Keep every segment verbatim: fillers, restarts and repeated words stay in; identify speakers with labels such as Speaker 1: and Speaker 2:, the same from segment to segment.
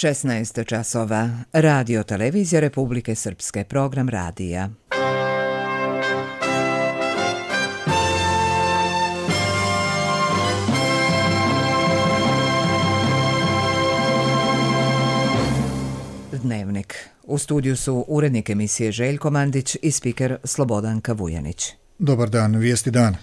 Speaker 1: šesnaest časova. Radio Televizija Republike Srpske. Program radija. Dnevnik. U studiju su urednik emisije Željko Mandić i spiker Slobodanka Vujanić.
Speaker 2: Dobar dan, vijesti dana.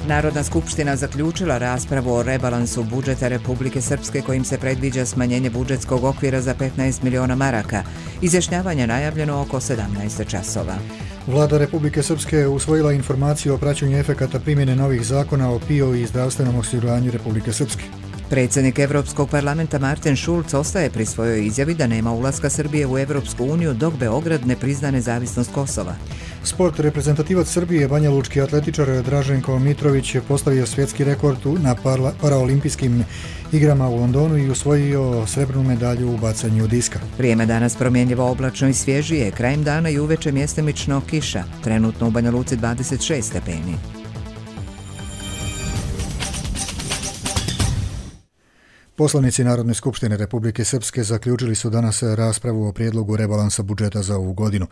Speaker 1: Narodna skupština zaključila raspravu o rebalansu budžeta Republike Srpske kojim se predviđa smanjenje budžetskog okvira za petnaest miliona maraka. Izjašnjavanje najavljeno oko sedamnaest časova.
Speaker 2: Vlada Republike Srpske usvojila informaciju o praćenju efekata primjene novih zakona o P I O i zdravstvenom osiguranju Republike Srpske.
Speaker 1: Predsjednik Evropskog parlamenta Martin Schulz ostaje pri svojoj izjavi da nema ulaska Srbije u Evropsku uniju dok Beograd ne prizna nezavisnost Kosova.
Speaker 2: Sport. Reprezentativac Srbije, banjalučki atletičar Draženko Mitrović je postavio svjetski rekord na paraolimpijskim igrama u Londonu i osvojio srebrnu medalju u bacanju diska.
Speaker 1: Vrijeme danas promjenjivo, oblačno i svježije, krajem dana i uveče mjestimično kiša. Trenutno u Banja Luci dvadeset šest stepeni.
Speaker 2: Poslanici Narodne skupštine Republike Srpske zaključili su danas raspravu o prijedlogu rebalansa budžeta za ovu godinu.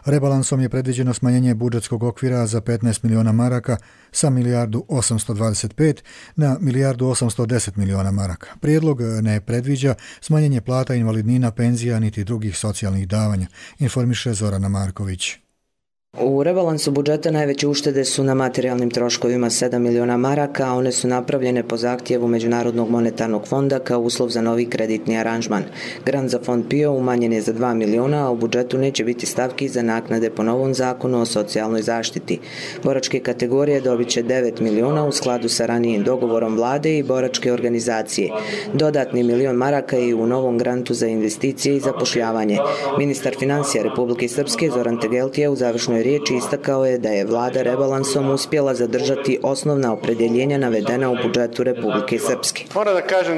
Speaker 2: Rebalansom je predviđeno smanjenje budžetskog okvira za petnaest miliona maraka sa milijardu osamsto dvadeset pet na milijardu osamsto deset miliona maraka. Prijedlog ne predviđa smanjenje plata, invalidnina, penzija niti drugih socijalnih davanja, informiše Zorana Marković.
Speaker 3: U rebalansu budžeta najveće uštede su na materijalnim troškovima sedam miliona maraka, a one su napravljene po zahtjevu Međunarodnog monetarnog fonda kao uslov za novi kreditni aranžman. Grant za fond P I O umanjen je za dva miliona, a u budžetu neće biti stavki za naknade po novom zakonu o socijalnoj zaštiti. Boračke kategorije dobit će devet miliona u skladu sa ranijim dogovorom vlade i boračke organizacije. Dodatni milion maraka je u novom grantu za investicije i zapošljavanje. Ministar financija Republike Srpske Zoran Tegeltija u završnoj riječi istakao je da je vlada rebalansom uspjela zadržati osnovna opredjeljenja navedena u budžetu Republike Srpske.
Speaker 4: Moram da kažem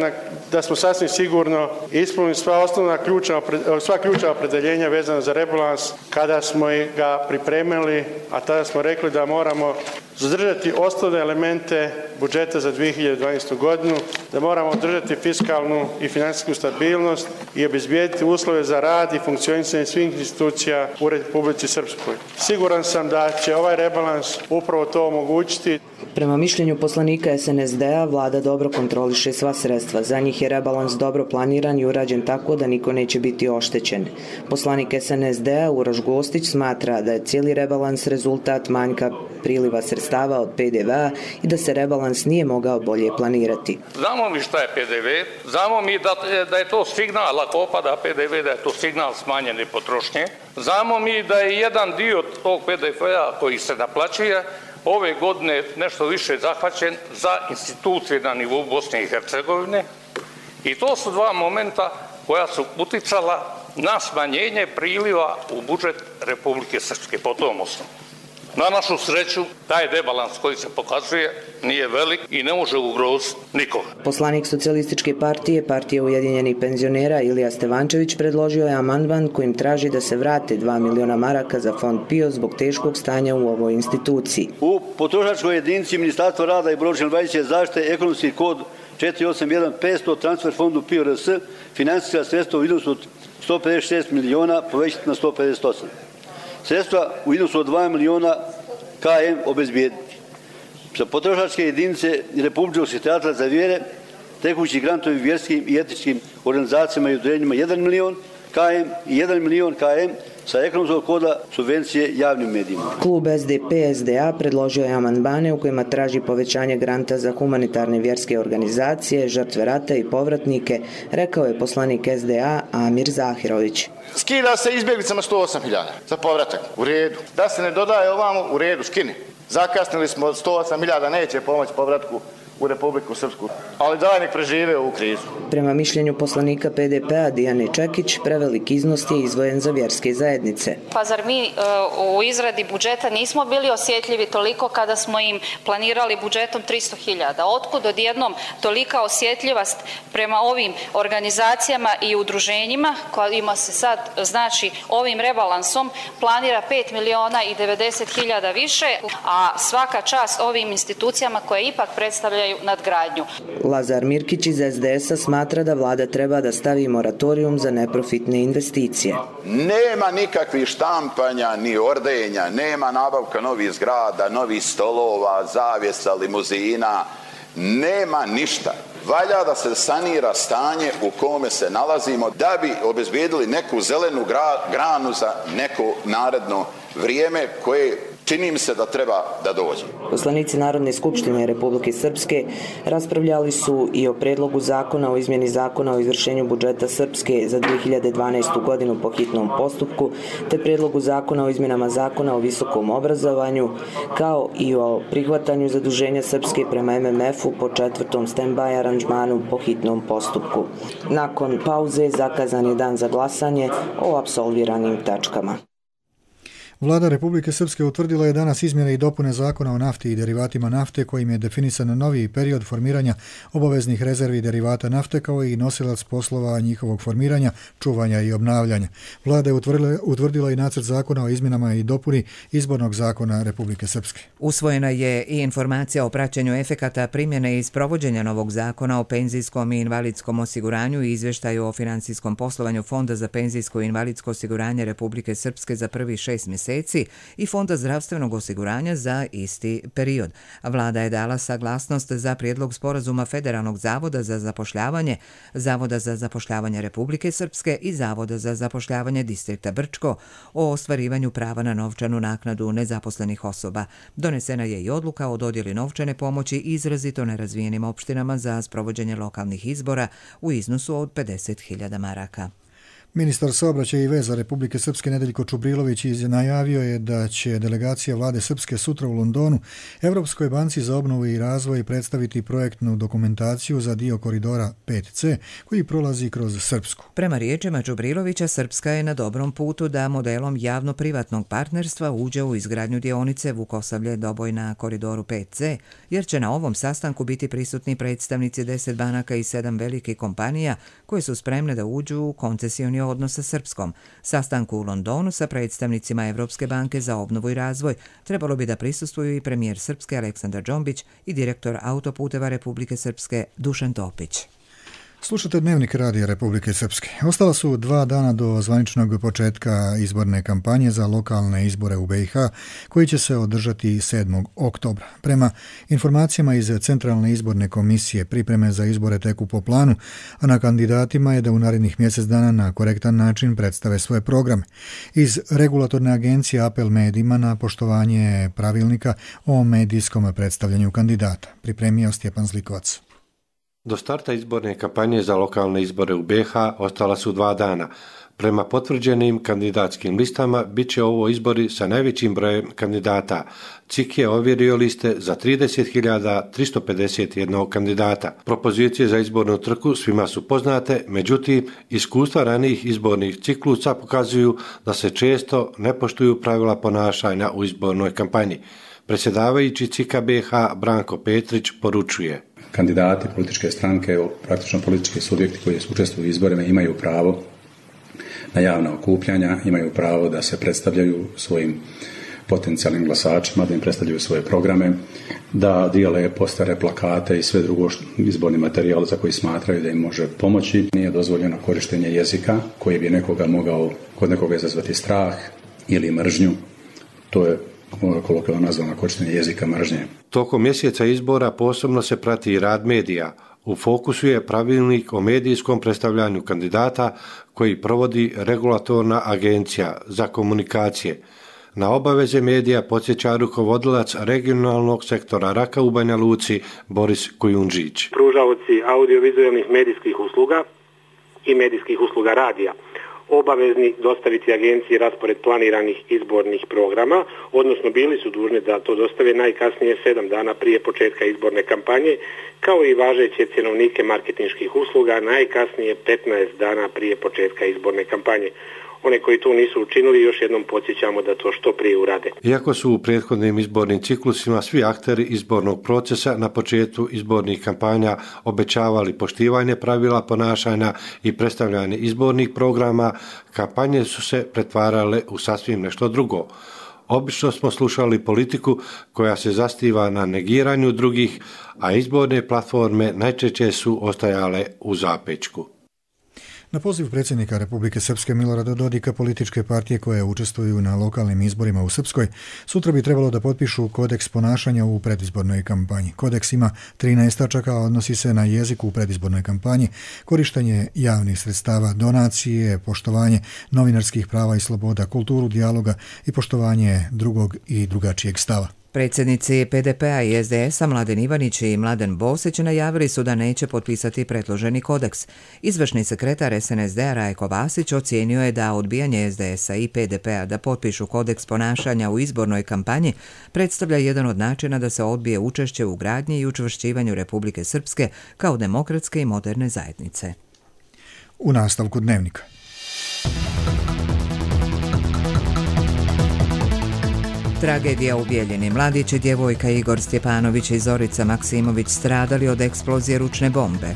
Speaker 4: da smo sasvim sigurno ispunili sva osnovna ključna, sva ključna opredjeljenja vezana za rebalans kada smo ga pripremili, a tada smo rekli da moramo zadržati osnovne elemente budžeta za dvije hiljade dvanaestu. godinu, da moramo održati fiskalnu i financijsku stabilnost i obezbijediti uslove za rad i funkcionisanje svih institucija u Republici Srpskoj. Siguran sam da će ovaj rebalans upravo to omogućiti.
Speaker 3: Prema mišljenju poslanika S N S D-a, vlada dobro kontroliše sva sredstva. Za njih je rebalans dobro planiran i urađen tako da niko neće biti oštećen. Poslanik S N S D-a Uroš Gostić smatra da je cijeli rebalans rezultat manjka priliva sredstava od P D V-a i da se rebalans nije mogao bolje planirati.
Speaker 5: Znamo mi šta je P D V, znamo mi da, da je to signal, ako opada P D V, da je to signal smanjene potrošnje. Znamo mi da je jedan dio tog P D V-a koji se naplaćuje ove godine nešto više zahvaćen za institucije na nivou Bosne i Hercegovine i to su dva momenta koja su uticala na smanjenje priliva u budžet Republike Srpske po tom osnovu. Na našu sreću, taj rebalans koji se pokazuje nije velik i ne može ugroziti nikoga.
Speaker 3: Poslanik Socijalističke partije, partije Ujedinjenih penzionera Ilija Stevančević predložio je amandman kojim traži da se vrate dva miliona maraka za fond P I O zbog teškog stanja u ovoj instituciji.
Speaker 6: U potrošačkoj jedinici Ministarstva rada i boračke zaštite ekonomski kod četiri osam jedan petsto transfer fondu P I O R S financijska sredstva u iznosu od sto pedeset šest miliona povećati na sto pedeset osam. Sredstva u iznosu od dva miliona K M obezbijediti. Za potrošačke jedinice i Republičkog sekretarijata za vjere tekući grantovi vjerskim i etičkim organizacijama i udruženjima jedan milion K M i jedan milion K M sa ekonomskog koda subvencije javnim medijima.
Speaker 3: Klub S D P S D A predložio je amandmane u kojima traži povećanje granta za humanitarne vjerske organizacije, žrtve rata i povratnike, rekao je poslanik S D A Amir Zahirović.
Speaker 7: Skida se izbjeglicama sto osam hiljada za povratak, u redu. Da se ne dodaje ovamo, u redu, skini. Zakasnili smo sto osam hiljada, neće pomoći povratku u Republiku Srpsku. Ali daj nek prežive ovu krizu.
Speaker 3: Prema mišljenju poslanika P D P-a Dijane Čekić, prevelik iznos je izdvojen za vjerske zajednice.
Speaker 8: Pa zar mi uh, u izradi budžeta nismo bili osjetljivi toliko kada smo im planirali budžetom tristo hiljada? Otkud odjednom tolika osjetljivost prema ovim organizacijama i udruženjima kojima se sad, znači, ovim rebalansom planira pet miliona i devedeset hiljada više, a svaka čast ovim institucijama koje ipak predstavljaju nadgradnju.
Speaker 3: Lazar Mirkić iz S D S-a smatra da vlada treba da stavi moratorijum za neprofitne investicije.
Speaker 9: Nema nikakvih štampanja ni ordenja, nema nabavka novih zgrada, novih stolova, zavjesa, limuzina, nema ništa. Valja da se sanira stanje u kome se nalazimo da bi obezbijedili neku zelenu granu za neko naredno vrijeme koje čini mi se da treba da dođe.
Speaker 3: Poslanici Narodne skupštine Republike Srpske raspravljali su i o predlogu zakona o izmjeni zakona o izvršenju budžeta Srpske za dvije hiljade dvanaestu. godinu po hitnom postupku, te predlogu zakona o izmjenama zakona o visokom obrazovanju, kao i o prihvatanju zaduženja Srpske prema M M F-u po četvrtom stand-by aranžmanu po hitnom postupku. Nakon pauze zakazan je dan za glasanje o apsolviranim tačkama.
Speaker 2: Vlada Republike Srpske utvrdila je danas izmjene i dopune zakona o nafti i derivatima nafte kojim je definisan novi period formiranja obaveznih rezervi derivata nafte kao i nosilac poslova njihovog formiranja, čuvanja i obnavljanja. Vlada je utvrdila, utvrdila i nacrt zakona o izmjenama i dopuni izbornog zakona Republike Srpske.
Speaker 1: Usvojena je i informacija o praćenju efekata primjene i sprovođenja novog zakona o penzijskom i invalidskom osiguranju i izvještaju o financijskom poslovanju Fonda za penzijsko i invalidsko osiguranje Republike Srpske za prvih šest mjeseci i Fonda zdravstvenog osiguranja za isti period. Vlada je dala saglasnost za prijedlog sporazuma Federalnog zavoda za zapošljavanje, Zavoda za zapošljavanje Republike Srpske i Zavoda za zapošljavanje distrikta Brčko o ostvarivanju prava na novčanu naknadu nezaposlenih osoba. Donesena je i odluka o dodjeli novčane pomoći izrazito nerazvijenim opštinama za sprovođenje lokalnih izbora u iznosu od pedeset hiljada maraka.
Speaker 2: Ministar saobraćaja i veza Republike Srpske Nedeljko Čubrilović najavio je da će delegacija vlade Srpske sutra u Londonu Evropskoj banci za obnovu i razvoj predstaviti projektnu dokumentaciju za dio koridora pet C koji prolazi kroz Srpsku.
Speaker 1: Prema riječima Čubrilovića, Srpska je na dobrom putu da modelom javno-privatnog partnerstva uđe u izgradnju dionice Vukosavlje-Doboj na koridoru pet C, jer će na ovom sastanku biti prisutni predstavnici deset banaka i sedam velikih kompanija koje su spremne da uđu u koncesioni odnos sa Srpskom. Sastanku u Londonu sa predstavnicima Evropske banke za obnovu i razvoj trebalo bi da prisustvuju i premijer Srpske Aleksandar Džombić i direktor autoputeva Republike Srpske Dušan Topić.
Speaker 2: Slušate Dnevnik radija Republike Srpske. Ostala su dva dana do zvaničnog početka izborne kampanje za lokalne izbore u B i H, koji će se održati sedmog oktobra. Prema informacijama iz Centralne izborne komisije, pripreme za izbore teku po planu, a na kandidatima je da u narednih mjesec dana na korektan način predstave svoje programe. Iz regulatorne agencije apel medijima na poštovanje pravilnika o medijskom predstavljanju kandidata. Pripremio Stjepan Zlikovac.
Speaker 10: Do starta izborne kampanje za lokalne izbore u B H ostala su dva dana. Prema potvrđenim kandidatskim listama bit će ovo izbori sa najvećim brojem kandidata. C I K je ovjerio liste za trideset hiljada tristo pedeset jedan kandidata. Propozicije za izbornu trku svima su poznate, međutim, iskustva ranijih izbornih ciklusa pokazuju da se često ne poštuju pravila ponašanja u izbornoj kampanji. Predsjedavajući C I K-a B H Branko Petrić poručuje:
Speaker 11: kandidati, političke stranke, praktično politički subjekti koji učestvuju u izborima imaju pravo na javna okupljanja, imaju pravo da se predstavljaju svojim potencijalnim glasačima, da im predstavljaju svoje programe, da dijele postare, plakate i sve drugo izborni materijal za koji smatraju da im može pomoći. Nije dozvoljeno korištenje jezika koji bi nekoga mogao kod nekoga izazvati strah ili mržnju. To je kolokvijalno nazvano korištenje jezika mržnje.
Speaker 10: Tokom mjeseca izbora posebno se prati i rad medija. U fokusu je pravilnik o medijskom predstavljanju kandidata koji provodi regulatorna agencija za komunikacije. Na obaveze medija podsjeća rukovodilac regionalnog sektora Raka u Banja Luci Boris Kujundžić.
Speaker 12: Pružaoci audiovizualnih medijskih usluga i medijskih usluga radija obavezni dostaviti agenciji raspored planiranih izbornih programa, odnosno bili su dužni da to dostave najkasnije sedam dana prije početka izborne kampanje, kao i važeće cjenovnike marketinških usluga najkasnije petnaest dana prije početka izborne kampanje. One koji to nisu učinili, još jednom podsjećamo da to što prije urade.
Speaker 10: Iako su u prethodnim izbornim ciklusima svi akteri izbornog procesa na početku izbornih kampanja obećavali poštivanje pravila ponašanja i predstavljanje izbornih programa, kampanje su se pretvarale u sasvim nešto drugo. Obično smo slušali politiku koja se zasniva na negiranju drugih, a izborne platforme najčešće su ostajale u zapećku.
Speaker 2: Na poziv predsjednika Republike Srpske Milorada Dodika, političke partije koje učestvuju na lokalnim izborima u Srpskoj sutra bi trebalo da potpišu kodeks ponašanja u predizbornoj kampanji. Kodeks ima trinaest tačaka, a odnosi se na jezik u predizbornoj kampanji, korištenje javnih sredstava, donacije, poštovanje novinarskih prava i sloboda, kulturu dijaloga i poštovanje drugog i drugačijeg stava.
Speaker 1: Predsjednici P D P-a i S D S-a Mladen Ivanić i Mladen Bosić najavili su da neće potpisati predloženi kodeks. Izvršni sekretar S N S D-a Rajko Vasić ocijenio je da odbijanje S D S-a i P D P-a da potpišu kodeks ponašanja u izbornoj kampanji predstavlja jedan od načina da se odbije učešće u gradnji i učvršćivanju Republike Srpske kao demokratske i moderne zajednice.
Speaker 2: U nastavku dnevnika.
Speaker 1: Tragedija u Bijeljini. Mladić i djevojka Igor Stjepanović i Zorica Maksimović stradali od eksplozije ručne bombe.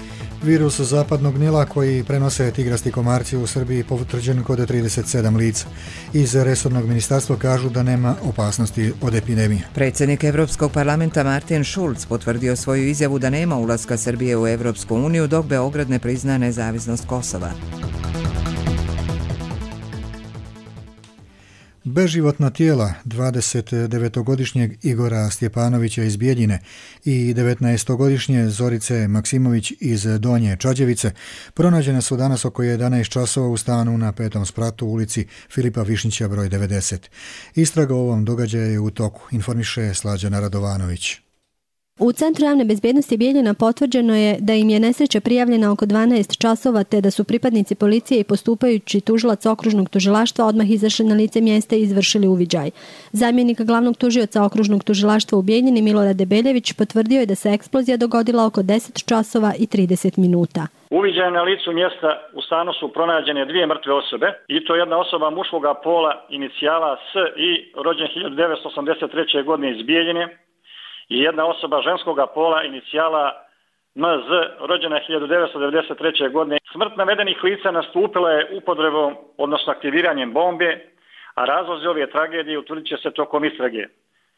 Speaker 2: Virus zapadnog Nila koji prenose tigrasti komarci u Srbiji potvrđen kod trideset sedam lica. Iz resornog ministarstva kažu da nema opasnosti od epidemije.
Speaker 1: Predsjednik Evropskog parlamenta Martin Schulz potvrdio svoju izjavu da nema ulaska Srbije u Evropsku uniju dok Beograd ne prizna nezavisnost Kosova.
Speaker 2: Beživotna tijela dvadesetdevetogodišnjeg Igora Stjepanovića iz Bijeljine i devetnaestogodišnje Zorice Maksimović iz Donje Čađevice pronađene su danas oko jedanaest časova u stanu na petom spratu u ulici Filipa Višnjića broj devedeset. Istraga o ovom događaju je u toku, informiše Slađana Radovanović.
Speaker 13: U Centru javne bezbjednosti Bijeljina potvrđeno je da im je nesreća prijavljena oko dvanaest časova te da su pripadnici policije i postupajući tužilac okružnog tužilaštva odmah izašli na lice mjesta i izvršili uviđaj. Zamjenik glavnog tužioca okružnog tužilaštva u Bijeljini Milorad Debeljević potvrdio je da se eksplozija dogodila oko deset časova i trideset minuta.
Speaker 14: Uviđaj na licu mjesta u stanu su pronađene dvije mrtve osobe i to jedna osoba muškoga pola inicijala S i rođen hiljadu devetsto osamdeset treće. godine iz Bijeljine i jedna osoba ženskoga pola inicijala M Z rođena hiljadu devetsto devedeset treće. godine. Smrt navedenih lica nastupila je upotrebom, odnosno aktiviranjem bombe, a razlozi ove tragedije utvrdit će se tokom istrage.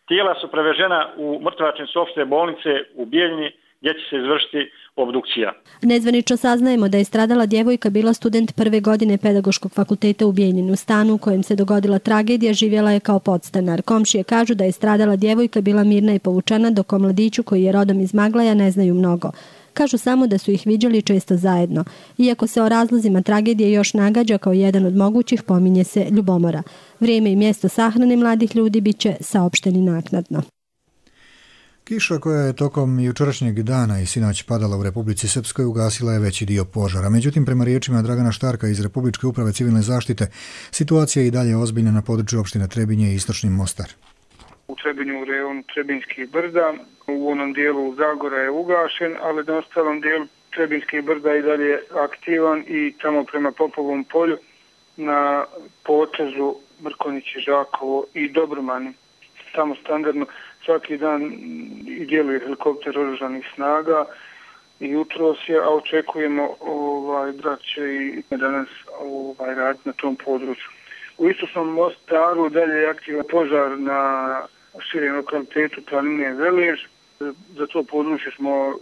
Speaker 14: Tijela su prevežena u mrtvačnicu opšte bolnice u Bijeljini gdje će se izvršiti obdukcija.
Speaker 13: Nezvanično saznajemo da je stradala djevojka bila student prve godine Pedagoškog fakulteta u Bijeljinu. U stanu u kojem se dogodila tragedija živjela je kao podstanar. Komšije kažu da je stradala djevojka bila mirna i povučena, dok o mladiću koji je rodom iz Maglaja ne znaju mnogo. Kažu samo da su ih viđali često zajedno. Iako se o razlozima tragedije još nagađa kao jedan od mogućih, pominje se ljubomora. Vrijeme i mjesto sahrane mladih ljudi bit će saopšteni naknadno.
Speaker 2: Kiša koja je tokom jučerašnjeg dana i sinoć padala u Republici Srpskoj ugasila je veći dio požara. Međutim, prema riječima Dragana Štarka iz Republičke uprave civilne zaštite, situacija je i dalje ozbiljna na području opštine Trebinje i Istočni Mostar.
Speaker 15: U Trebinju, u rejonu Trebinjskih brda, u onom dijelu Zagora je ugašen, ali na ostalom dijelu Trebinjskih brda i dalje aktivan i tamo prema Popovom polju na potezu Mrkonići, Žakovo i Dobromani. Tamo standardno svaki dan i djeluje helikopter oružanih snaga i jutros je, a očekujemo ovaj, da će i danas ovaj, raditi na tom području. U Istočnom Mostaru dalje je aktivan požar na širem lokalitetu planine Velež. Za to područje smo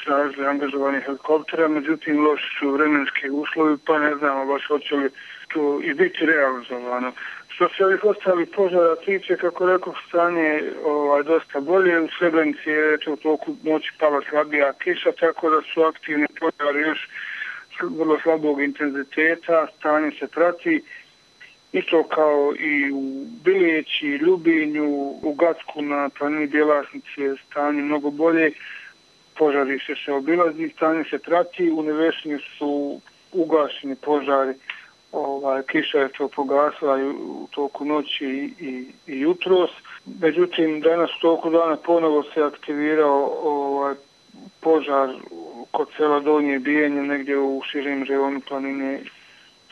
Speaker 15: tražili angažovanje helikoptera, međutim loši su vremenski uslovi, pa ne znamo baš hoće li to i biti realizovano. Što se ovih ostalih požara tiče, kako rekao, stanje ovaj, dosta bolje. U Srebrenici je u toku noći pala slabija kiša, tako da su aktivni požari još vrlo slabog intenziteta, stanje se prati. Isto kao i u Bilijeći, Ljubinju, u Gacku na planini Bjelasnici je stanje mnogo bolje. Požari se se obilazi, stanje se prati, u Nevešćini su ugašeni požari ovaj, kiša je to pogasila i u toku noći i, i, i jutros. Međutim, danas u toku dana ponovo se aktivirao ovaj, požar kod sela Donje Bijenje, negdje u širem rejonu planine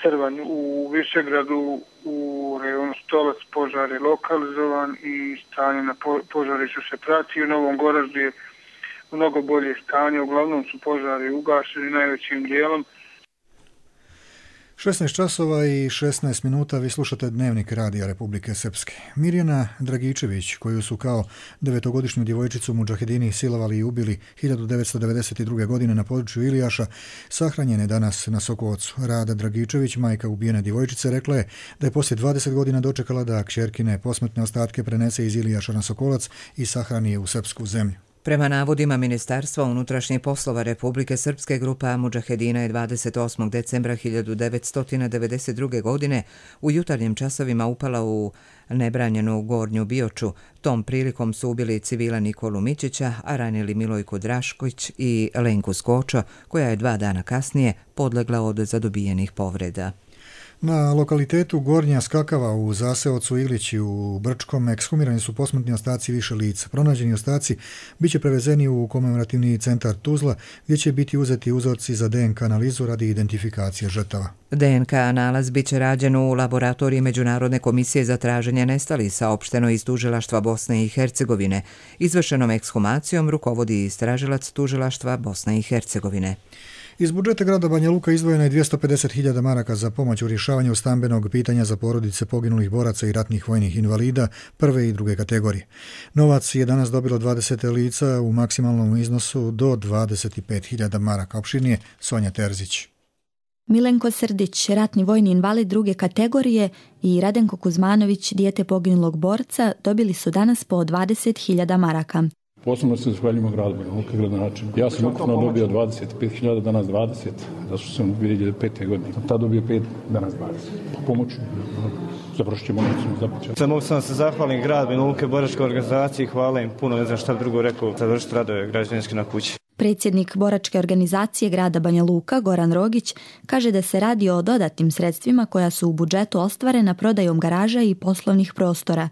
Speaker 15: Crvanj. U Višegradu, u rejonu Stolac, požar je lokalizovan i stanje na požarištu se prati. U Novom Goraždu je mnogo bolje stanje, uglavnom su požari ugašeni najvećim dijelom.
Speaker 2: šesnaest časova i šesnaest minuta, vi slušate Dnevnik Radija Republike Srpske. Mirjana Dragičević, koju su kao devetogodišnju djevojčicu mudžahedini silovali i ubili hiljadu devetsto devedeset druge. godine na području Ilijaša, sahranjena je danas na Sokolovcu. Rada Dragičević, majka ubijene djevojčice, rekla je da je poslije dvadeset godina dočekala da kćerkine posmrtne ostatke prenese iz Ilijaša na Sokolac i sahrani je u srpsku zemlju.
Speaker 1: Prema navodima Ministarstva unutrašnjih poslova Republike Srpske, grupa mudžahedina je dvadeset osmog decembra hiljadu devetsto devedeset druge. godine u jutarnjim časovima upala u nebranjenu Gornju Bioču. Tom prilikom su ubili civila Nikolu Mičića, a ranili Milojku Drašković i Lenku Skočo, koja je dva dana kasnije podlegla od zadobijenih povreda.
Speaker 2: Na lokalitetu Gornja Skakava u zaseocu Ilići u Brčkom ekshumirani su posmrtni ostaci više lica. Pronađeni ostaci biće prevezeni u komemorativni centar Tuzla, gdje će biti uzeti uzorci za D N K analizu radi identifikacije žrtava.
Speaker 1: D N K nalaz biće rađen u laboratoriji Međunarodne komisije za traženje nestalih, saopšteno iz Tužilaštva Bosne i Hercegovine. Izvršenom ekshumacijom rukovodi istražilac Tužilaštva Bosne i Hercegovine.
Speaker 2: Iz budžeta grada Banja Luka izdvojeno je dvjesto pedeset hiljada maraka za pomoć u rješavanju stambenog pitanja za porodice poginulih boraca i ratnih vojnih invalida prve i druge kategorije. Novac je danas dobilo dvadeset lica u maksimalnom iznosu do dvadeset pet hiljada maraka. Opširnije Sonja Terzić.
Speaker 16: Milenko Srdić, ratni vojni invalid druge kategorije, i Radenko Kuzmanović, dijete poginulog borca, dobili su danas po dvadeset hiljada maraka.
Speaker 17: Posebno se zahvaljujemo gradu Banja Luka, gradonačelniku. Ja sam ukupno dobio dvadeset pet hiljada, danas dvadeset, zato što sam dvije hiljade pete. godine. Tad dobio pet, danas dvadeset. Pomoću, završit ćemo nećemo započeti.
Speaker 18: Sam mogu sam se zahvalim grad Banja Luke, boračkoj organizaciji, hvala im puno, ne znam šta drugo rekao, završiti radove građevinski na kući.
Speaker 16: Predsjednik boračke organizacije grada Banja Luka, Goran Rogić, kaže da se radi o dodatnim sredstvima koja su u budžetu ostvarena prodajom garaža i poslovnih prostora.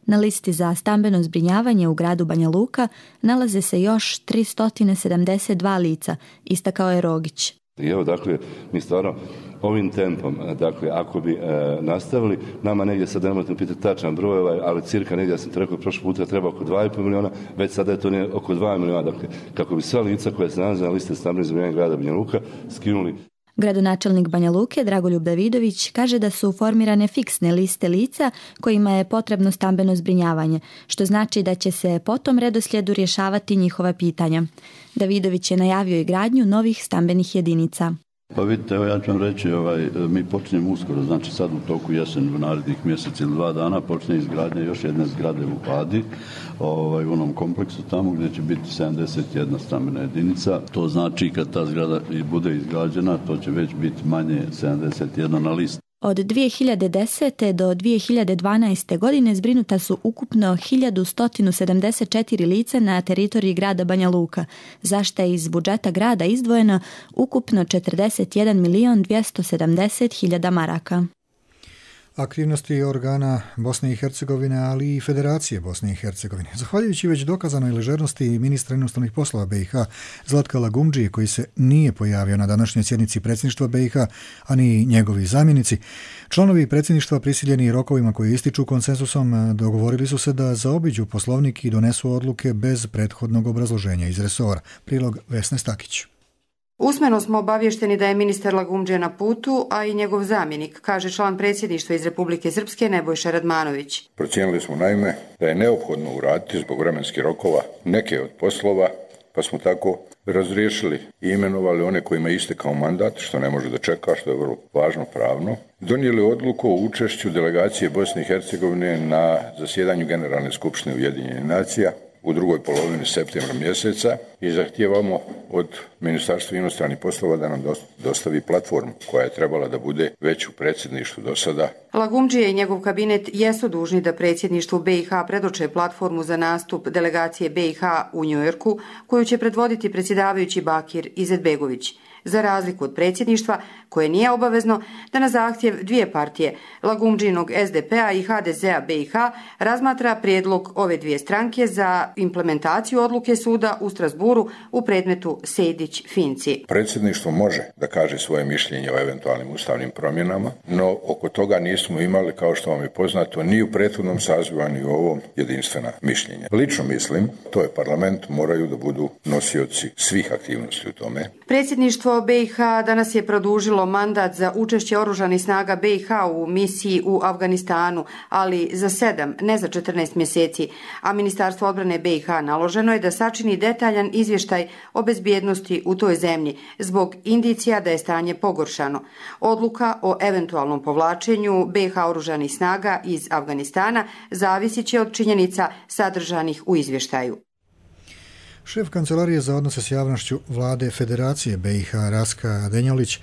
Speaker 16: Na listi za stambeno zbrinjavanje u gradu Banja Luka nalaze se još tristo sedamdeset dva lica, istakao je Rogić.
Speaker 19: I evo, dakle, mi stvarno ovim tempom, dakle, ako bi e, nastavili, nama negdje sad ne možete pitati tačan broj, ovaj, ali cirka negdje, ja sam rekao, prošli puta treba oko dva i pol miliona, već sada je to ne, oko dva miliona, dakle, kako bi sva lica koja se nalaze na listi stambenog zbrinjavanja grada Banja Luka skinuli.
Speaker 16: Gradonačelnik Banja Luke, Dragoljub Davidović, kaže da su formirane fiksne liste lica kojima je potrebno stambeno zbrinjavanje, što znači da će se po tom redoslijedu rješavati njihova pitanja. Davidović je najavio i gradnju novih stambenih jedinica.
Speaker 20: Pa vidite, evo ja ću vam reći, ovaj, mi počinjemo uskoro, znači sad u toku jesen, u narednih mjesec ili dva dana počne izgradnja još jedne zgrade u Padi, ovaj, u onom kompleksu tamo gdje će biti sedamdeset jedna stambena jedinica. To znači kad ta zgrada bude izgrađena, to će već biti manje sedamdeset jedna na listi.
Speaker 16: Od dvije hiljade desete. do dvije hiljade dvanaeste. godine zbrinuta su ukupno hiljadu sto sedamdeset četiri lica na teritoriji grada Banja Luka, za što je iz budžeta grada izdvojeno ukupno četrdeset jedan milion dvjesto sedamdeset hiljada maraka.
Speaker 2: Aktivnosti organa Bosne i Hercegovine, ali i Federacije Bosne i Hercegovine. Zahvaljujući već dokazanoj ležernosti ministra inostranih poslova B i H Zlatka Lagumdžije, koji se nije pojavio na današnjoj sjednici predsjedništva B i H, a ni njegovi zamjenici, članovi predsjedništva prisiljeni rokovima koji ističu konsensusom dogovorili su se da zaobiđu poslovnik i donesu odluke bez prethodnog obrazloženja iz resora. Prilog Vesne Stakić.
Speaker 21: Usmeno smo obavješteni da je ministar Lagumdžija na putu, a i njegov zamjenik, kaže član predsjedništva iz Republike Srpske Nebojša Radmanović.
Speaker 22: Procijenili smo naime da je neophodno uraditi zbog vremenskih rokova neke od poslova, pa smo tako razriješili i imenovali one kojima je istekao mandat, što ne može da čeka, što je vrlo važno pravno. Donijeli odluku o učešću delegacije Bosne i Hercegovine na zasjedanju Generalne skupštine Ujedinjenih nacija u drugoj polovini septembra mjeseca i zahtijevamo od Ministarstva inostranih poslova da nam dostavi platformu koja je trebala da bude već u predsjedništvu do sada.
Speaker 21: Lagumdžija i njegov kabinet jesu dužni da predsjedništvu B i H predoče platformu za nastup delegacije B i H u Njujorku, koju će predvoditi predsjedavajući Bakir Izetbegović. Za razliku od predsjedništva, koje nije obavezno da na zahtjev dvije partije, Lagumdžinog S D P-a i H D Z-a B i H, razmatra prijedlog ove dvije stranke za implementaciju odluke suda u Strasburu u predmetu Sejdić-Finci.
Speaker 22: Predsjedništvo može da kaže svoje mišljenje o eventualnim ustavnim promjenama, no oko toga nismo imali, kao što vam je poznato, ni u prethodnom sazivu, ni u ovom jedinstvena mišljenja. Lično mislim, to je parlament, moraju da budu nosioci svih aktivnosti u tome.
Speaker 21: Predsjedništvo B i H danas je produžilo mandat za učešće oružanih snaga B i H u misiji u Afganistanu, ali za sedam, ne za četrnaest mjeseci, a Ministarstvo odbrane B i H naloženo je da sačini detaljan izvještaj o bezbjednosti u toj zemlji zbog indicija da je stanje pogoršano. Odluka o eventualnom povlačenju B i H oružanih snaga iz Afganistana zavisit će od činjenica sadržanih u izvještaju.
Speaker 2: Šef Kancelarije za odnose s javnošću vlade Federacije B i H Raska Denjolić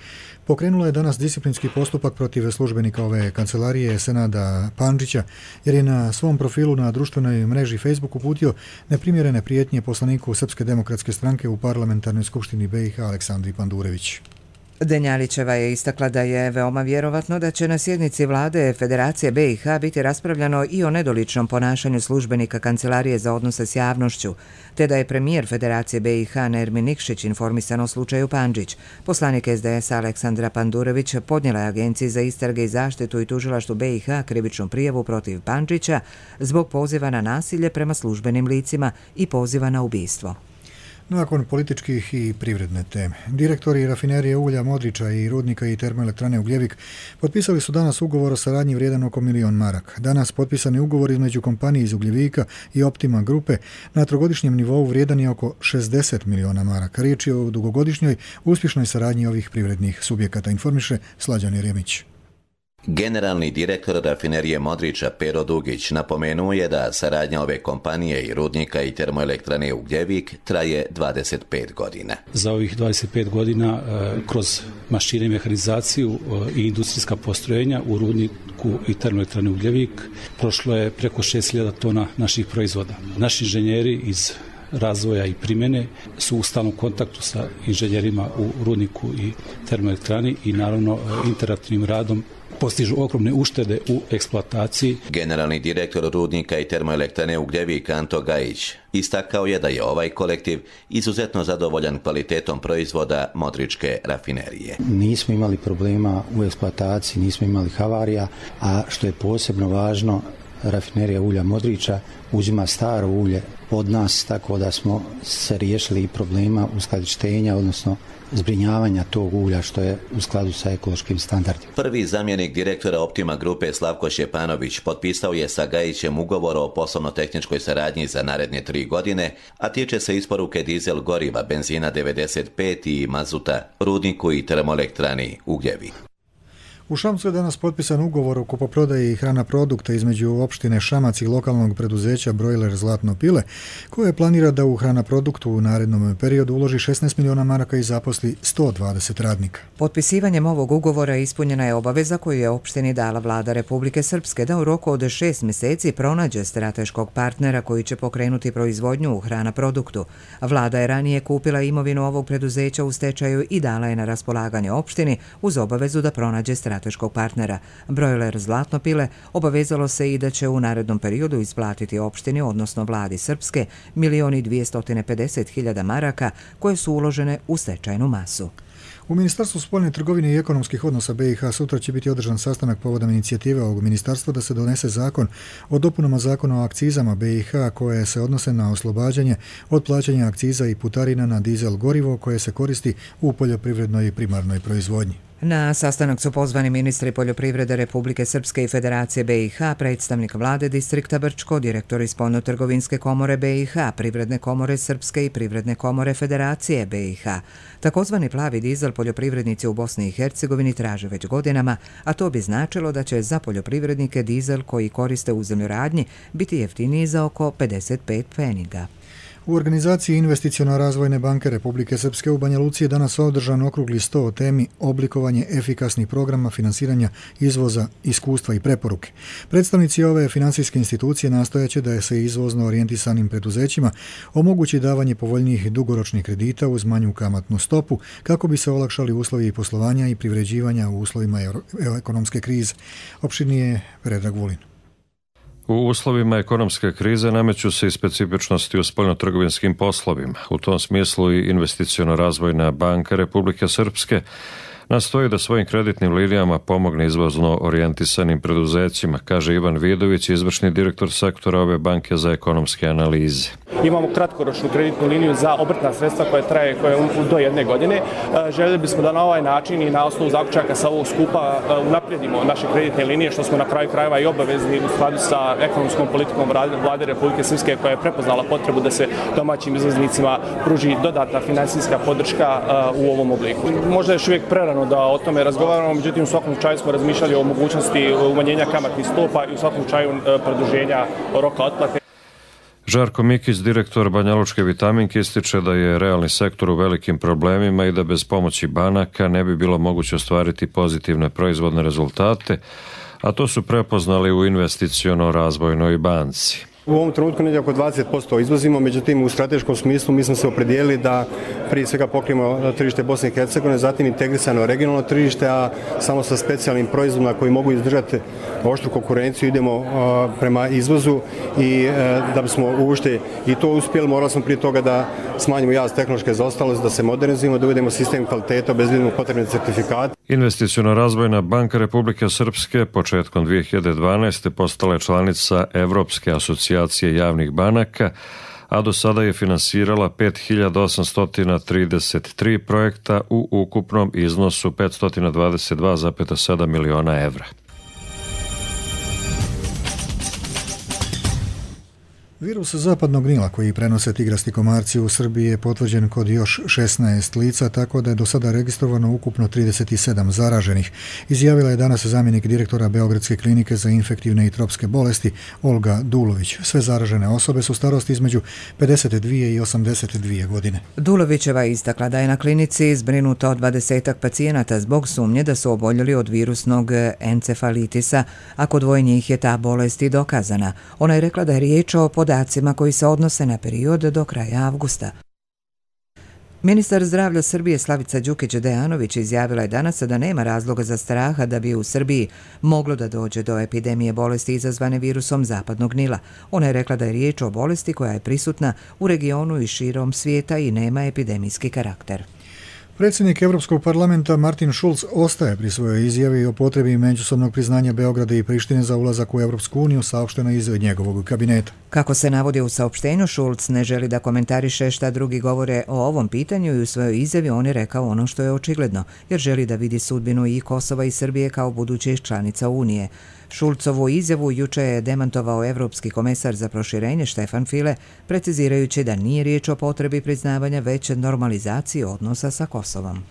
Speaker 2: pokrenula je danas disciplinski postupak protiv službenika ove kancelarije Senada Pandžića jer je na svom profilu na društvenoj mreži Facebook uputio neprimjerene prijetnje poslaniku Srpske demokratske stranke u parlamentarnoj skupštini B i H Aleksandri Pandurević.
Speaker 1: Denjalićeva je istakla da je veoma vjerovatno da će na sjednici vlade Federacije B i H biti raspravljano i o nedoličnom ponašanju službenika Kancelarije za odnose s javnošću, te da je premijer Federacije B i H Nermin Nikšić informisan o slučaju Pandžić. Poslanik S D S-a Aleksandra Pandurević podnijela je Agenciji za istrage i zaštitu i tužilaštvu B i H krivičnu prijavu protiv Pandžića zbog poziva na nasilje prema službenim licima i poziva na ubistvo.
Speaker 2: Nakon političkih i privredne teme, direktori rafinerije ulja Modriča i rudnika i termoelektrane Ugljevik potpisali su danas ugovor o saradnji vrijedan oko milion maraka. Danas potpisani ugovor između kompanije iz Ugljevika i Optima grupe na trogodišnjem nivou vrijedan je oko šezdeset miliona maraka. Riječ je o dugogodišnjoj uspješnoj saradnji ovih privrednih subjekata, informiše Slađan Jeremić.
Speaker 4: Generalni direktor rafinerije Modriča Pero Dugić napomenuo je da saradnja ove kompanije i rudnika i termoelektrane Ugljevik traje dvadeset pet godina.
Speaker 17: Za ovih dvadeset pet godina kroz mašine i mehanizaciju i industrijska postrojenja u rudniku i termoelektrane Ugljevik prošlo je preko šest hiljada tona naših proizvoda. Naši inženjeri iz razvoja i primjene su u stalnom kontaktu sa inženjerima u rudniku i termoelektrani i naravno interaktivnim radom postižu ogromne uštede u eksploataciji.
Speaker 4: Generalni direktor rudnika i termoelektrane Ugljevik Anto Gajić istakao je da je ovaj kolektiv izuzetno zadovoljan kvalitetom proizvoda Modričke rafinerije.
Speaker 5: Nismo imali problema u eksploataciji, nismo imali havarija, a što je posebno važno, rafinerija ulja Modriča uzima staro ulje od nas, tako da smo se riješili i problema uskladištenja, odnosno zbrinjavanja tog ulja što je u skladu sa ekološkim standardima.
Speaker 4: Prvi zamjenik direktora Optima grupe Slavko Šjepanović potpisao je sa Gajićem ugovor o poslovno-tehničkoj saradnji za naredne tri godine, a tiče se isporuke dizel goriva, benzina devedeset pet i mazuta rudniku i termoelektrani Ugljevik.
Speaker 2: U Šamcu je danas potpisan ugovor o kupoprodaji hrana produkta između opštine Šamac i lokalnog preduzeća Brojler Zlatno pile, koje planira da u hrana produktu u narednom periodu uloži šesnaest miliona maraka i zaposli sto dvadeset radnika.
Speaker 1: Potpisivanjem ovog ugovora ispunjena je obaveza koju je opštini dala vlada Republike Srpske da u roku od šest mjeseci pronađe strateškog partnera koji će pokrenuti proizvodnju u hrana produktu. Vlada je ranije kupila imovinu ovog preduzeća u stečaju i dala je na raspolaganje opštini uz obavezu da pronađe strateškog strateškog partnera. Brojler Zlatno pile obavezalo se i da će u narednom periodu isplatiti opštini, odnosno vladi Srpske, milion i dvjesto pedeset hiljada maraka koje su uložene u stečajnu masu.
Speaker 2: U Ministarstvu spoljne trgovine i ekonomskih odnosa B i H sutra će biti održan sastanak povodom inicijative ovog ministarstva da se donese zakon o dopunama zakona o akcizama B i H koje se odnose na oslobađanje od plaćanja akciza i putarina na dizel gorivo koje se koristi u poljoprivrednoj i primarnoj proizvodnji.
Speaker 1: Na sastanak su pozvani ministri poljoprivrede Republike Srpske i Federacije B i H, predstavnik vlade distrikta Brčko, direktori spoljno-trgovinske komore B i H, privredne komore Srpske i privredne komore Federacije B i H. Takozvani plavi dizel poljoprivrednici u Bosni i Hercegovini traže već godinama, a to bi značilo da će za poljoprivrednike dizel koji koriste u zemljoradnji biti jeftiniji za oko pedeset pet pfeniga.
Speaker 2: U organizaciji Investiciono-razvojne banke Republike Srpske u Banja Luci je danas održan okrugli sto o temi oblikovanje efikasnih programa finansiranja izvoza, iskustva i preporuke. Predstavnici ove finansijske institucije nastojaće da se izvozno orijentisanim preduzećima omogući davanje povoljnijih dugoročnih kredita uz manju kamatnu stopu kako bi se olakšali uslovi poslovanja i privređivanja u uslovima ekonomske krize. Opširnije Predrag Vulin.
Speaker 6: U uslovima ekonomske krize nameću se i specifičnosti u spoljnotrgovinskim poslovima. U tom smislu i Investiciono-razvojna banka Republike Srpske nastoji da svojim kreditnim linijama pomogne izvozno orijentisanim preduzećima, kaže Ivan Vidović, izvršni direktor sektora ove banke za ekonomske analize.
Speaker 7: Imamo kratkoročnu kreditnu liniju za obrtna sredstva koja traje koja do jedne godine. Željeli bismo da na ovaj način i na osnovu zaključaka sa ovog skupa unaprijedimo naše kreditne linije, što smo na kraju krajeva i obavezni u skladu sa ekonomskom politikom Vlade Republike Srpske, koja je prepoznala potrebu da se domaćim izvoznicima pruži dodatna finansijska podrška u ovom obliku. Možda je još uvijek prerano da o tome razgovaramo, međutim u svakom slučaju smo razmišljali o mogućnosti umanjenja kamatnih stopa i u svakom slučaju produženja roka otplate.
Speaker 6: Žarko Mikić, direktor Banjalučke vitaminke, ističe da je realni sektor u velikim problemima i da bez pomoći banaka ne bi bilo moguće ostvariti pozitivne proizvodne rezultate, a to su prepoznali u Investiciono-razvojnoj banci.
Speaker 23: U ovom trenutku negdje oko dvadeset posto izvozimo, međutim u strateškom smislu mi smo se opredijelili da prije svega pokrijemo tržište Bosne i Hercegovine, zatim integrisano regionalno tržište, a samo sa specijalnim proizvodima koji mogu izdržati oštru konkurenciju idemo prema izvozu i da bismo uopšte i to uspjeli, morali smo prije toga da smanjimo jaz tehnološke zaostalosti, da se modernizujemo, da uvedemo sistem kvaliteta, obezbedimo potrebne certifikate.
Speaker 6: Investiciono-razvojna banka Republike Srpske početkom dvije hiljade dvanaeste. postala je članica Evropske asocijacije javnih banaka, a do sada je finansirala pet hiljada osamsto trideset tri projekta u ukupnom iznosu petsto dvadeset dva zarez sedam miliona evra.
Speaker 2: Virus zapadnog Nila koji prenose tigrasti komarci u Srbiji je potvrđen kod još šesnaest lica, tako da je do sada registrovano ukupno trideset sedam zaraženih, izjavila je danas zamjenik direktora Beogradske klinike za infektivne i tropske bolesti Olga Dulović. Sve zaražene osobe su starosti između pedeset dvije i osamdeset dvije godine.
Speaker 1: Dulovićeva istakla da je na klinici zbrinuto dvadesetak pacijenata zbog sumnje da su oboljeli od virusnog encefalitisa, a kod dvoje njih je ta bolest i dokazana. Ona je rekla da je riječ o podacima koji se odnose na period do kraja avgusta. Ministar zdravlja Srbije Slavica Đukić-Dejanović izjavila je danas da nema razloga za straha da bi u Srbiji moglo da dođe do epidemije bolesti izazvane virusom zapadnog Nila. Ona je rekla da je riječ o bolesti koja je prisutna u regionu i širom svijeta i nema epidemijski karakter.
Speaker 2: Predsjednik Europskog parlamenta Martin Schulz ostaje pri svojoj izjavi o potrebi međusobnog priznanja Beograda i Prištine za ulazak u Europsku uniju, saopšteno iz njegovog kabineta.
Speaker 1: Kako se navodi u saopštenju, Schulz ne želi da komentariše šta drugi govore o ovom pitanju i u svojoj izjavi on je rekao ono što je očigledno, jer želi da vidi sudbinu i Kosova i Srbije kao budućih članica Unije. Šulcovu izjavu juče je demantovao Evropski komesar za proširenje Štefan File, precizirajući da nije riječ o potrebi priznavanja već normalizaciji odnosa sa Kosovom.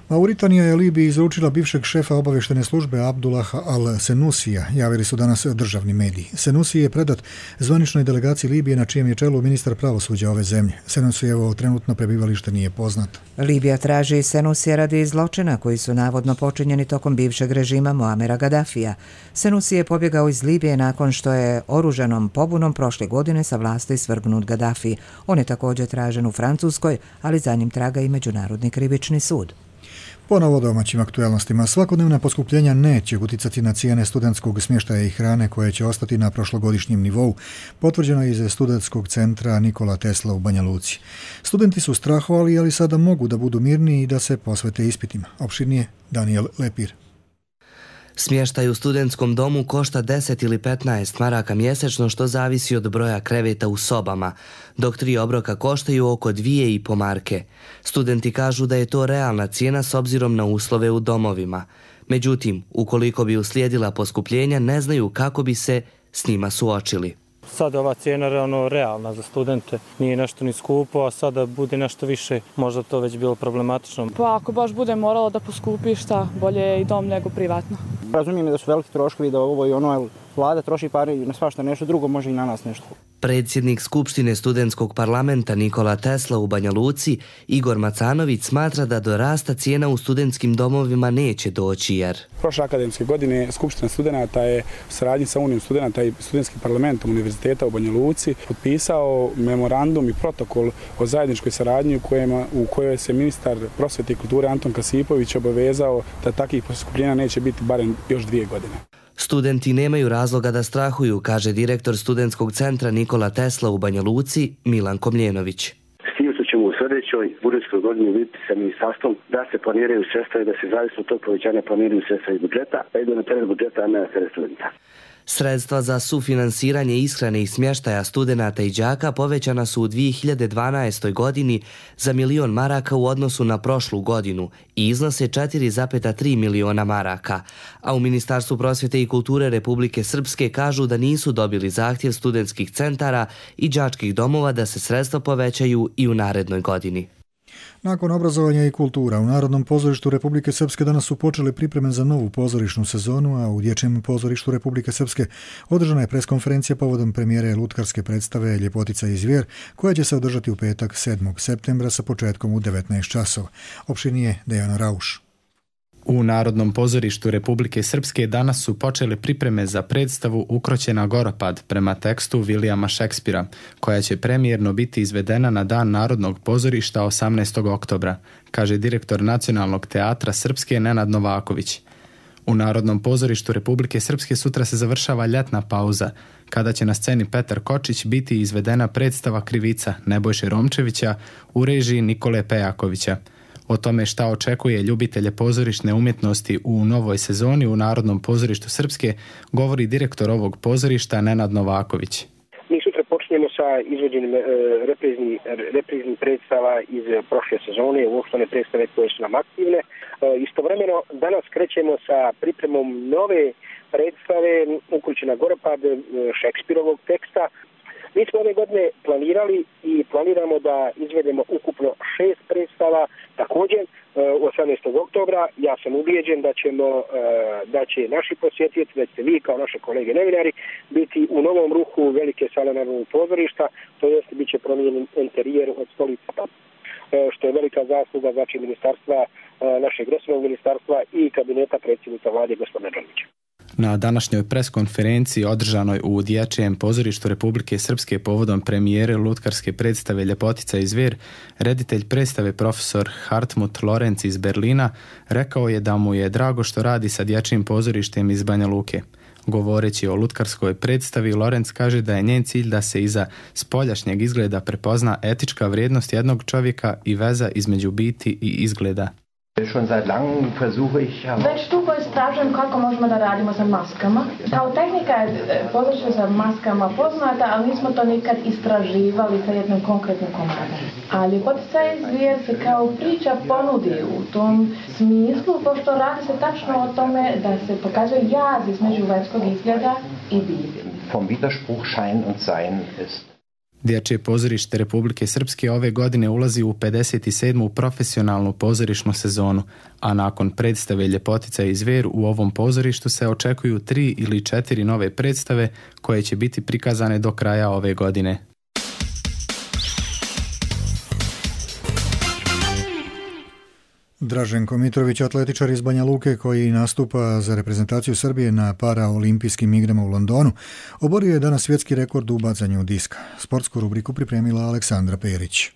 Speaker 2: Mauritanija je Libiji izručila bivšeg šefa obavještene službe Abdullaha al-Senusija, javili su danas državni mediji. Senusi je predat zvaničnoj delegaciji Libije na čijem je čelu ministar pravosuđa ove zemlje. Senusijevo trenutno prebivalište nije poznato.
Speaker 1: Libija traži Senusija radi zločina koji su navodno počinjeni tokom bivšeg režima Muamera Gaddafija. Senusi je pobjegao iz Libije nakon što je oružanom pobunom prošle godine sa vlasti svrgnut Gaddafi. On je također tražen u Francuskoj, ali za njim traga i Međunarodni krivični sud.
Speaker 2: Ponovo domaćim aktuelnostima. Svakodnevna poskupljenja neće uticati na cijene studentskog smještaja i hrane koje će ostati na prošlogodišnjem nivou, potvrđeno je iz studentskog centra Nikola Tesla u Banja Luci. Studenti su strahovali, ali sada mogu da budu mirni i da se posvete ispitima. Opširnije Daniel Lepir.
Speaker 24: Smještaj u studentskom domu košta deset ili petnaest maraka mjesečno, što zavisi od broja kreveta u sobama, dok tri obroka koštaju oko dvije i po marke. Studenti kažu da je to realna cijena s obzirom na uslove u domovima. Međutim, ukoliko bi uslijedila poskupljenja, ne znaju kako bi se s njima suočili.
Speaker 25: Sad ova cijena realno realna za studente, nije nešto ni skupo, a sada bude nešto više, možda to već bilo problematično.
Speaker 26: Pa ako baš bude moralo da poskupi, šta, bolje je i dom nego privatno.
Speaker 27: Razumijem da su veliki troškovi, da ovo i ono, ali
Speaker 3: vlada troši pare na svašta nešto drugo, može i na nas nešto.
Speaker 24: Predsjednik Skupštine studentskog parlamenta Nikola Tesla u Banja Luci, Igor Macanović, smatra da do rasta cijena u studentskim domovima neće doći jer...
Speaker 8: Prošle akademske godine Skupština studenata je u saradnji sa Unijom studenata i studentskim parlamentom Univerziteta u Banja Luci potpisao memorandum i protokol o zajedničkoj saradnji u, kojima, u kojoj se ministar prosvete i kulture Anton Kasipović obavezao da takvih poskupljenja neće biti barem još dvije godine.
Speaker 24: Studenti nemaju razloga da strahuju, kaže direktor studentskog centra Nikola Tesla u Banja Luci, Milan Komljenović.
Speaker 9: S tim što ćemo u sljedećoj budžetskoj godini vidjeti sa ministarstvom da se planiraju sredstva i da se zavisno od tog povećanja planiraju sredstva iz budžeta, pa idu na teret budžeta, a ne na teret studenta.
Speaker 24: Sredstva za sufinansiranje ishrane i smještaja studenata i đaka povećana su u dvije hiljade dvanaestoj. godini za milion maraka u odnosu na prošlu godinu i iznose četiri zarez tri miliona maraka, a u Ministarstvu prosvjete i kulture Republike Srpske kažu da nisu dobili zahtjev studentskih centara i đačkih domova da se sredstva povećaju i u narednoj godini.
Speaker 2: Nakon obrazovanja i kultura, u Narodnom pozorištu Republike Srpske danas su počele pripreme za novu pozorišnu sezonu, a u Dječjem pozorištu Republike Srpske održana je preskonferencija povodom premijere lutkarske predstave Ljepotica i zvijer, koja će se održati u petak sedmog septembra sa početkom u devetnaest časova. Opštinije Dejana Rauš.
Speaker 11: U Narodnom pozorištu Republike Srpske danas su počele pripreme za predstavu Ukroćena Goropad prema tekstu Vilijama Šekspira, koja će premijerno biti izvedena na Dan Narodnog pozorišta osamnaestog oktobra, kaže direktor Nacionalnog teatra Srpske Nenad Novaković. U Narodnom pozorištu Republike Srpske sutra se završava ljetna pauza, kada će na sceni Petar Kočić biti izvedena predstava Krivica Nebojše Romčevića u režiji Nikole Pejakovića. O tome šta očekuje ljubitelje pozorišne umjetnosti u novoj sezoni u Narodnom pozorištu Srpske govori direktor ovog pozorišta Nenad Novaković.
Speaker 9: Mi sutra počinjemo sa izvođenjem repriznih reprizni predstava iz prošle sezone, uopštene predstave koje su nam aktivne. Istovremeno danas krećemo sa pripremom nove predstave Ukroćena Goropad Šekspirovog teksta. Mi smo ove godine planirali i planiramo da izvedemo ukupno šest predstava. Također, osamnaestog oktobra ja sam ubijeđen da ćemo, da će naši posjetioci, da ćete vi kao naše kolege novinari, biti u novom ruhu velike sale Narodnog pozorišta, to jest bit će promijenjen interijer od stolice, što je velika zasluga znači ministarstva, našeg resornog ministarstva i kabineta predsjednika vlade gospodina Đonića.
Speaker 11: Na današnjoj preskonferenciji održanoj u Dječjem pozorištu Republike Srpske povodom premijere lutkarske predstave Ljepotica i zvijer, reditelj predstave profesor Hartmut Lorenz iz Berlina rekao je da mu je drago što radi sa Dječjim pozorištem iz Banja Luke. Govoreći o lutkarskoj predstavi, Lorenz kaže da je njen cilj da se iza spoljašnjeg izgleda prepozna etička vrijednost jednog čovjeka i veza između biti i izgleda.
Speaker 12: Već dugo istražujem kako možemo da radimo sa maskama. Kao tehnika je pozorište sa maskama poznata, ali nismo to nikad istraživali sa jednom konkretnom komadom. A Ljepotica i zvijer se kao priča ponudi u tom smislu, pošto radi se tačno o tome da se pokazuje jaz između vanjskog izgleda i biti.
Speaker 26: Vom Widerspruch Schein und Sein ist.
Speaker 11: Dječje pozorište Republike Srpske ove godine ulazi u pedeset sedmu profesionalnu pozorišnu sezonu, a nakon predstave Ljepotica i zvijer u ovom pozorištu se očekuju tri ili četiri nove predstave koje će biti prikazane do kraja ove godine.
Speaker 2: Draženko Mitrović, atletičar iz Banja Luke koji nastupa za reprezentaciju Srbije na paraolimpijskim igrama u Londonu, oborio je danas svjetski rekord u bacanju diska. Sportsku rubriku pripremila Aleksandra Perić.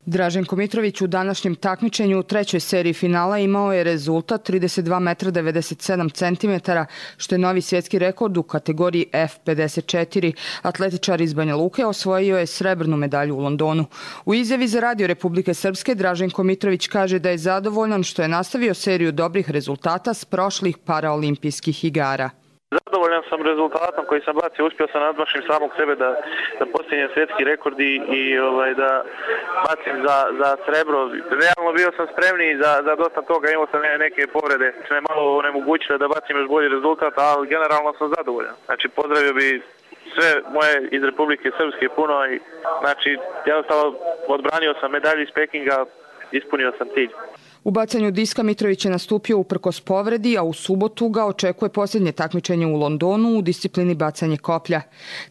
Speaker 27: Draženko Mitrović u današnjem takmičenju u trećoj seriji finala imao je rezultat trideset dva metra devedeset sedam centimetara, što je novi svjetski rekord u kategoriji F pedeset četiri. Atletičar iz Banja Luke osvojio je srebrnu medalju u Londonu. U izjavi za Radio Republike Srpske Draženko Mitrović kaže da je zadovoljan što je nastavio seriju dobrih rezultata s prošlih paraolimpijskih igara.
Speaker 28: Zadovoljan sam rezultatom koji sam bacio, uspio sam nadmašim samog sebe da, da postignem svjetski rekord i, i ovaj, da bacim za, za srebro. Realno bio sam spremniji za, za dosta toga, imao sam neke povrede, što me malo onemogućile da bacim još bolji rezultat, ali generalno sam zadovoljan. Znači pozdravio bi sve moje iz Republike Srpske puno i znači jednostavno odbranio sam medalju iz Pekinga, ispunio sam cilj.
Speaker 27: U bacanju diska Mitrović je nastupio uprkos povredi, a u subotu ga očekuje posljednje takmičenje u Londonu u disciplini bacanje koplja.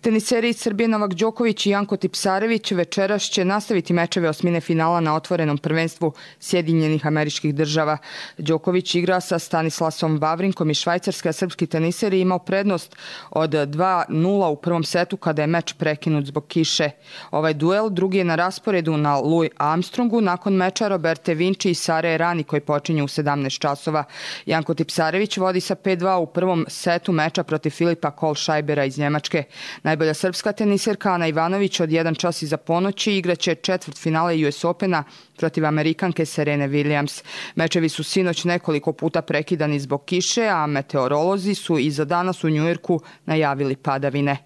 Speaker 27: Teniseri iz Srbije Novak Đoković i Janko Tipsarević večeras će nastaviti mečeve osmine finala na otvorenom prvenstvu Sjedinjenih Američkih Država. Đoković igra sa Stanislasom Vavrinkom iz Švajcarske, a srpski teniser je imao prednost od dva nula u prvom setu kada je meč prekinut zbog kiše. Ovaj duel drugi je na rasporedu na Louis Armstrongu nakon meča Roberte Vinci i Sare Rani koji počinje u sedamnaest časova. Janko Tipsarević vodi sa pet dva u prvom setu meča protiv Filipa Kohlscheibera iz Njemačke. Najbolja srpska teniserka Ana Ivanović od jedan čas iza ponoći igraće četvrt finale U S Opena protiv Amerikanke Serene Williams. Mečevi su sinoć nekoliko puta prekidani zbog kiše, a meteorolozi su i za danas u Njujorku najavili padavine.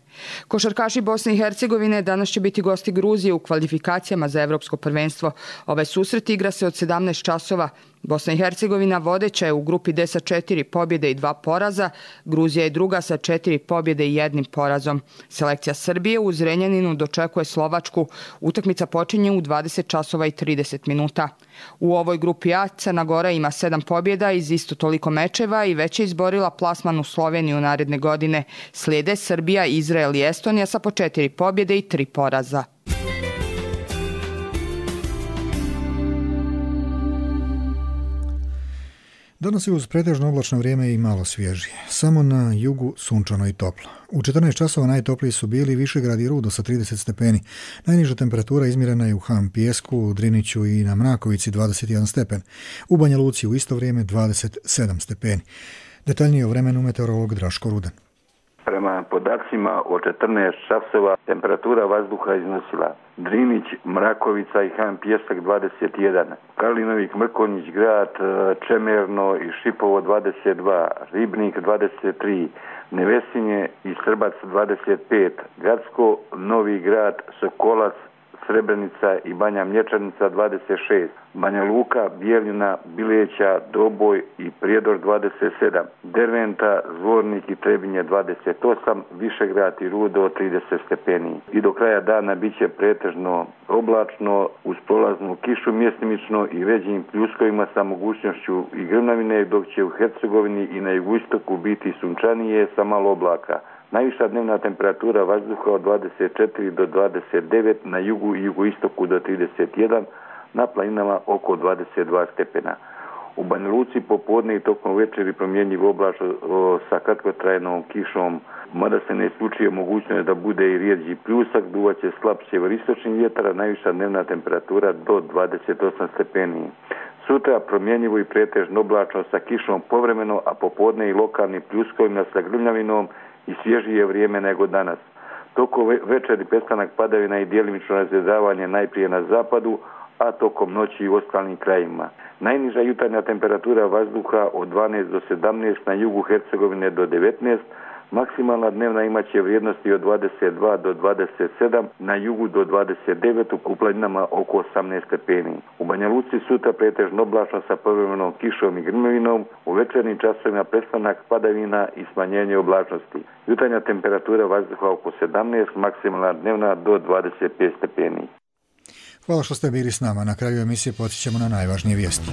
Speaker 27: Košarkaši Bosne i Hercegovine danas će biti gosti Gruzije u kvalifikacijama za Evropsko prvenstvo. Ovaj susret igra se od sedamnaest časova. Bosna i Hercegovina vodeća je u grupi D sa četiri pobjede i dva poraza. Gruzija je druga sa četiri pobjede i jednim porazom. Selekcija Srbije u Zrenjaninu dočekuje Slovačku. Utakmica počinje u dvadeset časova i trideset minuta. U ovoj grupi A Crna Gora ima sedam pobjeda iz isto toliko mečeva i već je izborila plasman u Sloveniju naredne godine. Slijede Srbija, Izrael i Estonija sa po četiri pobjede i tri poraza.
Speaker 2: Danas je uz pretežno oblačno vrijeme i malo svježije. Samo na jugu sunčano i toplo. U četrnaest časova najtopliji su bili Višegrad i Rudo sa trideset stepeni. Najniža temperatura izmjerena je u Han Pijesku, u Driniću i na Mrakovici dvadeset jedan stepen. U Banja Luci u isto vrijeme dvadeset sedam stepeni. Detaljnije o vremenu meteorolog Draško Rudan.
Speaker 10: Prema podacima o četrnaest časova temperatura vazduha iznosila Drinić, Mrakovica i Han Pijesak dvadeset jedan, Kalinovik, Mrkonjić, Grad, Čemerno i Šipovo dvadeset dva, Ribnik dvadeset tri, Nevesinje i Srbac dvadeset pet, Gacko, Novi Grad, Sokolac, Srebrenica i Banja Mlječanica dvadeset šest, Banja Luka, Bijeljina, Bileća, Doboj i Prijedor dvadeset sedam, Derventa, Zvornik i Trebinje dvadeset osam, Višegrad i Rudo trideset stepeni. I do kraja dana bit će pretežno oblačno uz prolaznu kišu mjestimično i većim pljuskovima sa mogućnošću i grmavine, dok će u Hercegovini i na jugoistoku biti sunčanije sa malo oblaka. Najviša dnevna temperatura vazduha od dvadeset četiri do dvadeset devet, na jugu i jugoistoku do trideset jedan, na planinama oko dvadeset dva stepena. U Banja Luci popodne i tokom večeri promjenjiv oblačno sa kratkotrajnom kišom, mada se ne isključuje mogućnost da bude i rijeđi pljusak, duvaće slab sjeveristočni vjetar, a najviša dnevna temperatura do dvadeset osam stepeni. Sutra promjenjivo i pretežno oblačno sa kišom povremeno, a popodne i lokalnim pljuskovima sa grmljavinom i svježije vrijeme nego danas. Tokom večeri prestanak padavina i djelimično razredavanje najprije na zapadu, a tokom noći i u ostalim krajima. Najniža jutarnja temperatura vazduha od dvanaest do sedamnaest, na jugu Hercegovine do devetnaest, maksimalna dnevna imaće vrijednosti od dvadeset dva do dvadeset sedam, na jugu do dvadeset devet, u planinama oko osamnaest stepeni. U Banja Luci sutra pretežno oblačno sa povremenom kišom i grmovinom, u večernjim časovima prestanak padavina i smanjenje oblačnosti. Jutarnja temperatura vazduha oko sedamnaest, maksimalna dnevna do dvadeset pet stepeni.
Speaker 2: Hvala što ste bili s nama. Na kraju emisije podsjećamo na najvažnije vijesti.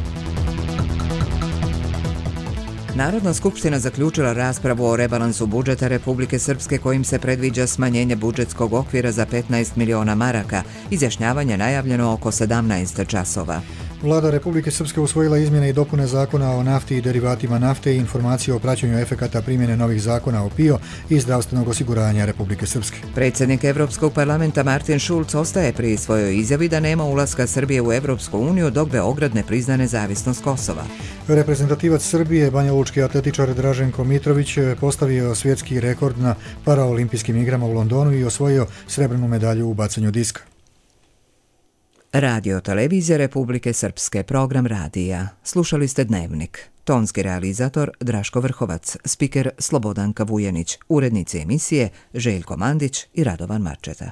Speaker 1: Narodna skupština zaključila raspravu o rebalansu budžeta Republike Srpske kojim se predviđa smanjenje budžetskog okvira za petnaest miliona maraka. Izjašnjavanje najavljeno oko sedamnaest časova.
Speaker 2: Vlada Republike Srpske usvojila izmjene i dopune zakona o nafti i derivatima nafte i informacije o praćenju efekata primjene novih zakona o P I O i zdravstvenog osiguranja Republike Srpske.
Speaker 1: Predsjednik Evropskog parlamenta Martin Schulz ostaje pri svojoj izjavi da nema ulaska Srbije u Evropsku uniju dok Beograd ne prizna nezavisnost Kosova.
Speaker 2: Reprezentativac Srbije, banjalučki atletičar Draženko Mitrović, postavio svjetski rekord na paraolimpijskim igrama u Londonu i osvojio srebrnu medalju u bacanju diska.
Speaker 1: Radio televizija Republike Srpske, program radija. Slušali ste Dnevnik. Tonski realizator Draško Vrhovac, spiker Slobodanka Vujanić, urednici emisije Željko Mandić i Radovan Marčeta.